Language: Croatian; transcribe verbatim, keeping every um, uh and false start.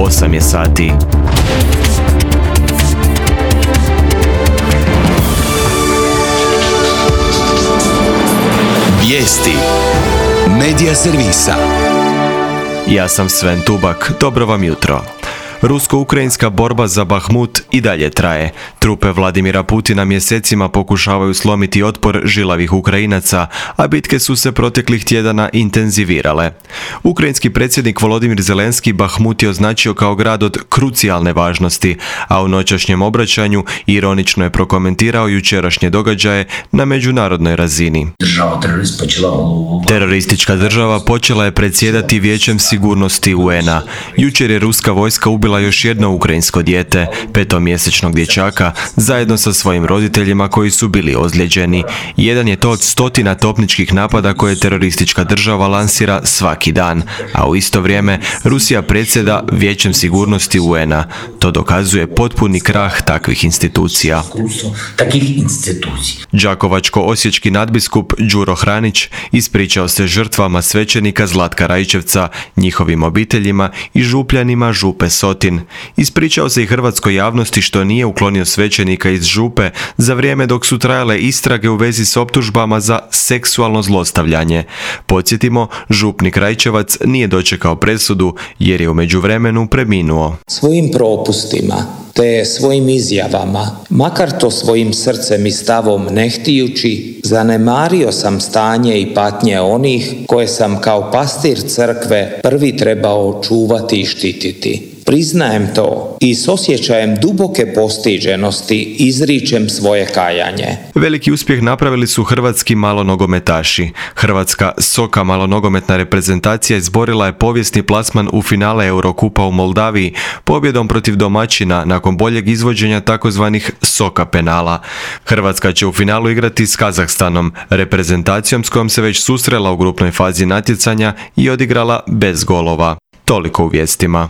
osam je sati. Vijesti Medija servisa. Ja sam Sven Tubak, dobro vam jutro. Rusko-ukrajinska borba za Bahmut i dalje traje. Trupe Vladimira Putina mjesecima pokušavaju slomiti otpor žilavih Ukrajinaca, a bitke su se proteklih tjedana intenzivirale. Ukrajinski predsjednik Volodimir Zelenski Bahmut je označio kao grad od krucijalne važnosti, a u noćašnjem obraćanju ironično je prokomentirao jučerašnje događaje na međunarodnoj razini. Teroristička država počela je predsjedati Vijećem sigurnosti U N A. Jučer je ruska vojska ubila još jedno ukrajinsko dijete, petomjesečnog dječaka, zajedno sa svojim roditeljima koji su bili ozlijeđeni. Jedan je to od stotina topničkih napada koje teroristička država lansira svaki dan, a u isto vrijeme Rusija predsjeda Vijećem sigurnosti U N A. To dokazuje potpuni krah takvih institucija. Đakovačko-osječki nadbiskup Đuro Hranić ispričao se žrtvama svećenika Zlatka Rajčevca, njihovim obiteljima i župljanima župe Sotin. Ispričao se i hrvatskoj javnosti što nije uklonio svećenika iz župe za vrijeme dok su trajale istrage u vezi s optužbama za seksualno zlostavljanje. Podsjetimo, župnik Rajčevac nije dočekao presudu jer je u međuvremenu preminuo. Svojim propustima te svojim izjavama, makar to svojim srcem i stavom ne htijući, zanemario sam stanje i patnje onih koje sam kao pastir crkve prvi trebao čuvati i štititi. Priznajem to i s osjećajem duboke postiđenosti izričem svoje kajanje. Veliki uspjeh napravili su hrvatski malonogometaši. Hrvatska Soka malonogometna reprezentacija izborila je povijesni plasman u finale Eurokupa u Moldaviji pobjedom protiv domaćina nakon boljeg izvođenja takozvanih Soka penala. Hrvatska će u finalu igrati s Kazahstanom, reprezentacijom s kojom se već susrela u grupnoj fazi natjecanja i odigrala bez golova. Toliko u vijestima.